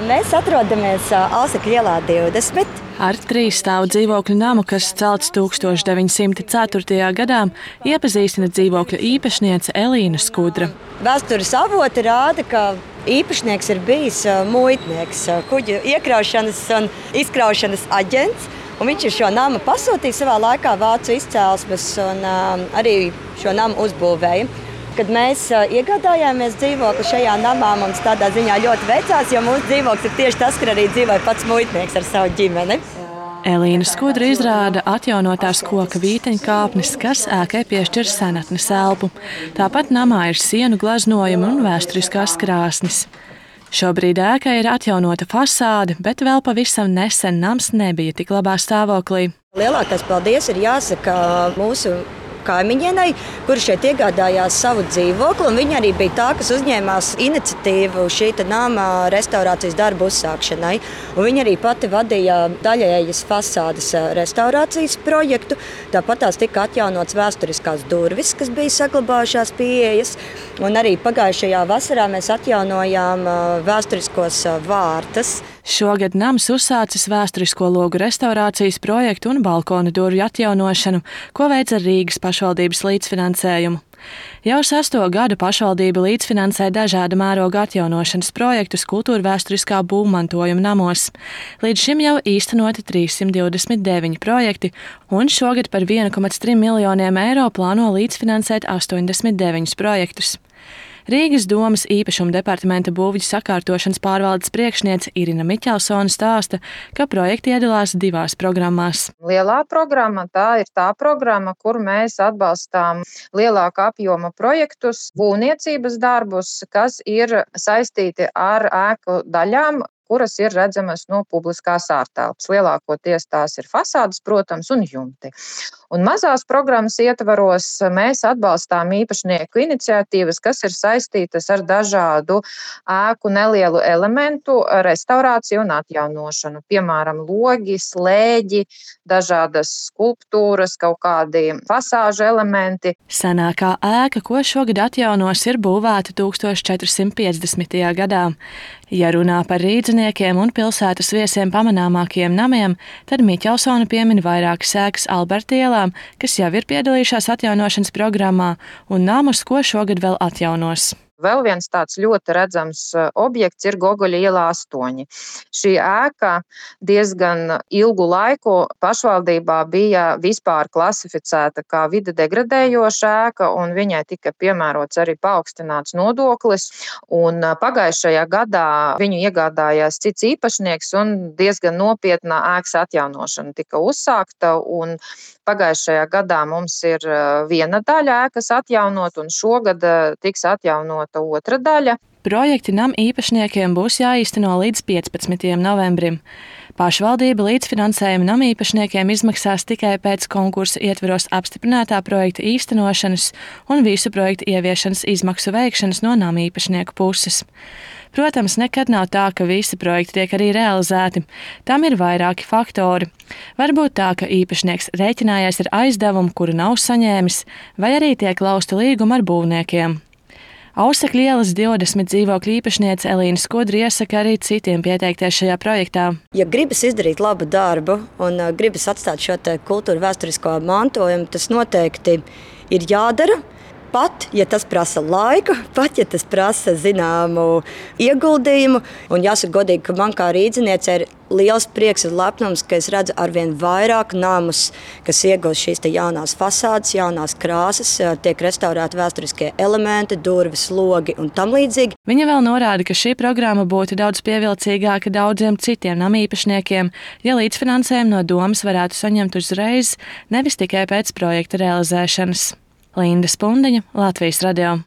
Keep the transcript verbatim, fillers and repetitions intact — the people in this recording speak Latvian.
Mēs atrodamies Ausekļu ielā divdesmit. Ar trīs stāvu dzīvokļu namu, kas celts tūkstoš deviņi simti ceturtajā gadā, iepazīstina dzīvokļa īpašniece Elīna Skudra. Vēstures avoti rāda, ka īpašnieks ir bijis muitnieks, kuģu iekraušanas un izkraušanas aģents. Un viņš ir šo namu pasūtījis savā laikā vācu izcēlesmes un uh, arī šo namu uzbūvēja. Kad mēs uh, iegādājāmies dzīvokli šajā namā, mums tādā ziņā ļoti veicās, jo mūsu dzīvoklis ir tieši tas, kur arī dzīvoja pats muitnieks ar savu ģimeni. Elīna Skudra izrāda atjaunotās koka vīteņkāpnes, kas ēkai piešķir senatnes elpu. Tāpat namā ir sienu glaznojumi un vēsturiskās krāsnis. Šobrīd ēkai ir atjaunota fasāde, bet vēl pavisam nesen nams nebija tik labā stāvoklī. Lielākais paldies ir jāsaka mūsu kaimiņienei, kuri šeit iegādājās savu dzīvokli, un viņa arī bija tā, kas uzņēmās iniciatīvu šī nama restaurācijas darbu uzsākšanai. Un viņa arī pati vadīja daļējas fasādes restaurācijas projektu, tāpat tās tika atjaunotas vēsturiskās durvis, kas bija saglabājušās pieejas, un arī pagājušajā vasarā mēs atjaunojām vēsturiskos vārtus. Šogad nams uzsācis vēsturisko logu restaurācijas projektu un balkonu durvju atjaunošanu, ko veic ar Rīgas pašvaldības līdzfinansējumu. Jau sesto gadu pašvaldība līdzfinansē dažāda mēroga atjaunošanas projektus kultūrvēsturiskā būvmantojuma namos. Līdz šim jau īstenoti trīssimt divdesmit deviņi projekti, un šogad par viens komats trīs miljoniem eiro plāno līdzfinansēt astoņdesmit deviņus projektus. Rīgas domas īpašuma departamenta būvju sakārtošanas pārvaldes priekšniece Irina Miķelsone stāsta, ka projekti iedalās divās programmās. Lielā programma tā ir tā programma, kur mēs atbalstām lielāka apjoma projektus, būvniecības darbus, kas ir saistīti ar ēku daļām, kuras ir redzamas no publiskās ārtelpas. Lielākoties tās ir fasādes, protams, un jumti. Un mazās programmas ietvaros mēs atbalstām īpašnieku iniciatīvas, kas ir saistītas ar dažādu ēku nelielu elementu restaurāciju un atjaunošanu. Piemēram, logi, slēģi, dažādas skulptūras, kaut kādi fasāžu elementi. Senākā ēka, ko šogad atjaunos, ir būvēta tūkstoš četri simti piecdesmitajā gadā. Ja runā par rīdziniekiem un pilsētas viesiem pamanāmākajiem namiem, tad Miķelsone piemin vairākas ēkas Alberta ielā, kas jau ir piedalījušās atjaunošanas programmā, un namus, ko šogad vēl atjaunos. Vēl viens tāds ļoti redzams objekts ir Gogoļa ielā astoņi. Šī ēka diezgan ilgu laiku pašvaldībā bija vispār klasificēta kā vide degradējoša ēka, un viņai tika piemērots arī paaugstināts nodoklis. Un pagājušajā gadā viņu iegādājās cits īpašnieks, un diezgan nopietna ēkas atjaunošana tika uzsākta. Un pagājušajā gadā mums ir viena daļa ēkas atjaunot, un šogad tiks atjaunot otra daļa. Projekti nam īpašniekiem būs jāīsteno līdz piecpadsmitajam novembrim. Pašvaldība līdzfinansējumu nam īpašniekiem izmaksās tikai pēc konkursa ietveros apstiprinātā projekta īstenošanas un visu projektu ieviešanas izmaksu veikšanas no nam īpašnieku puses. Protams, nekad nav tā, ka visi projekti tiek arī realizēti. Tam ir vairāki faktori. Varbūt tā, ka īpašnieks rēķinājies ar aizdevumu, kuru nav saņēmis, vai arī tiek lausta līguma ar būvniekiem. Ausekļu ielas divdesmit dzīvokļu īpašniece Elīna Skudra iesaka arī citiem pieteikties šajā projektā. Ja gribas izdarīt labu darbu un gribas atstāt šo te kultūru vēsturisko mantojumu, tas noteikti ir jādara. Pat, ja tas prasa laiku, pat, ja tas prasa zināmu ieguldījumu. Un jāsaka godīgi, ka man kā rīdziniece ir liels prieks un lepnums, ka es redzu arvien vairāk namus, kas iegūst šīs te jaunās fasādes, jaunās krāsas, tiek restaurēti vēsturiskie elementi, durvis, logi un tam līdzīgi. Viņa vēl norāda, ka šī programma būtu daudz pievilcīgāka daudziem citiem namīpašniekiem, ja līdzfinansējumu no domas varētu saņemt uzreiz, nevis tikai pēc projekta realizēšanas. Linda Spundiņa, Latvijas radio.